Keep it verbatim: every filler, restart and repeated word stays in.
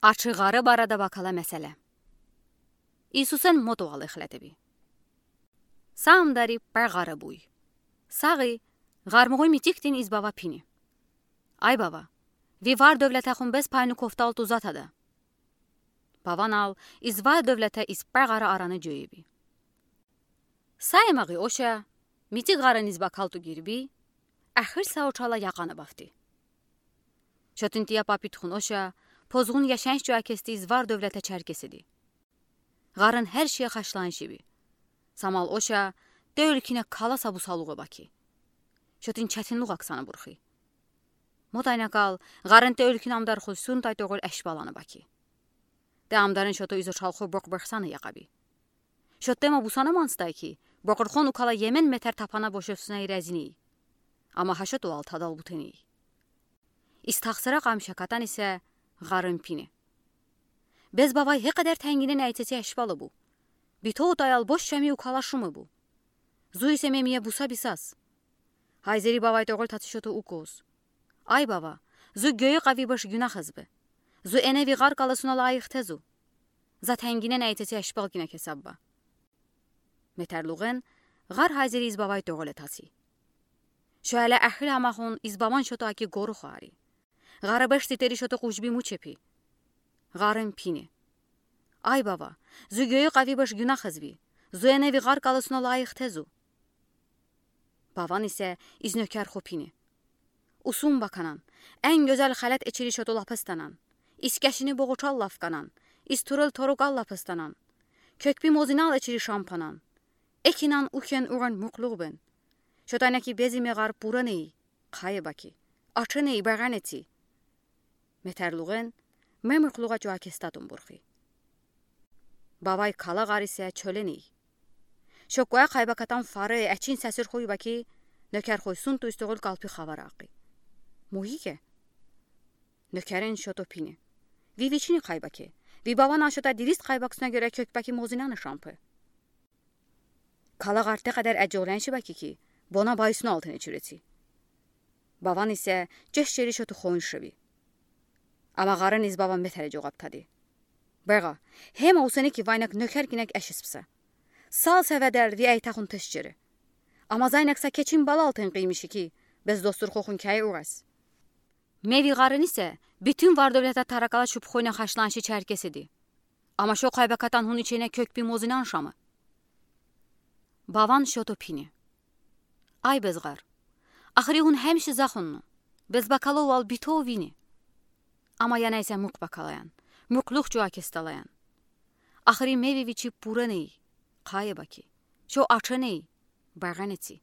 Ачı ǵarı барада бакала меселе. Иисусэн мо тувал эхлетеби. Са амдари пар ǵари буй. Саги, ğarмугуй митикдин из бава пини: Ай бава, ви вар-дёвлетехун бес пайну кофтал тузатада. Баванал из вар-дёвлете из пар ǵари араны жёеби. Са емагъи оша, митик ǵарын из бакал ту гирби, эхир са учала яханы бафти. Чотын тия папитхун оша, позгун яшанш чуа кести из вар-дёвлете чаркесиди. Ğарын хер шее хашланшиби. Самал оша, тёлкине кала са бусалугъа баки. Чотын четинлугъ аксана бурхи. Мо тайнакал ğарын тёлкин амдар хусун тай тогъул эшбаланы баки. Тэ амдарын шоту из учалху бокъ бахсана яхаби. Шотте ма бусана манстай ки, бокъурхон укала емен метер тапана бошевсуна иразини. Ама ха шоту ал тадал бутени. Из тахсыра къам шакатан исе ğарын пини. Бес бавай хекъедер тенгинен эйтети эшбалы бу. Битоу таял бош шами укала шумы бу. Зу исе мемие буса бисас. Хайзери бавай тогъул татси шоту укоз. Ай бава, зу гёйы къави баш гюнахыз бы. Зу эне ви ğар калысуна лайых тезу. За тенгинен эйтети эшбал гине кесаб ба. Метерлугъен, ğар хайзери из бавай тогъуле татси. Шоэле эхил амахун из баван шоту аки гору хуари. Ğарибеш титери шоту къужби мучепи. Ğарын пини. Ай бава, зу гёйы къави баш гюнахыз би. Зу эне ви ğар калысуна лайых тезу. Баван исе из нёкер ху пини. Усун баканан, эн гёзел халет эчири шоту лапыстанан, из кешини боğучал лафканан, из турыл торугал лапыстанан, кёкби мозинал эчири шампанан, экинан укен уран мукълугъ бен. Шотан аки безиме ğар пура ней, къайы баки, ачы ней, бегенети. Метерлугъен, мемуклугъа чуа кестатун бурхи. Бавай кала ğар исе чёле ней. Шокуа къайбакатан фары, эчин сесир хуй баки, нёкер хуй сунту истогъул калпи хавар акъи. Муйике. Нёкерен шоту пини. Ви вичини къайбаки. Ви бавана шота дирист къайбаксуна гёре кёкбаки мозинаны шампы. Кала ğар тэ къедер эджоленши баки ки, бона байсуна алтын эчурети. Баван исе чеш чери шоту хоншеви. Ама ğарын из баван метере жоғап тади. Бега, хема усени ки вайнак нёкер гинек эшиспса. Сал севедер ви эйтахун теш чери. Ама зайнак са кечин балал тен къыймиши ки, бес достур хохун кяй урас. Ме ви ğарын исе, бютюн вар-дёвлета таракала шупхойна хашланши чаркесиди. Ама шо къайбакатан хун ичене кёкби мозинан шамы. Баван шоту пини. Ай бес ğар. Ахыри хун хемши захунну. Бес бакалу вал битоу вини. Ама яна исе мукъ бакалаян. Мукълугъ чуа кесталаян. Ахыри ме ви вичи пура ней. Къайы баки. Шо ачы ней. Бегенети.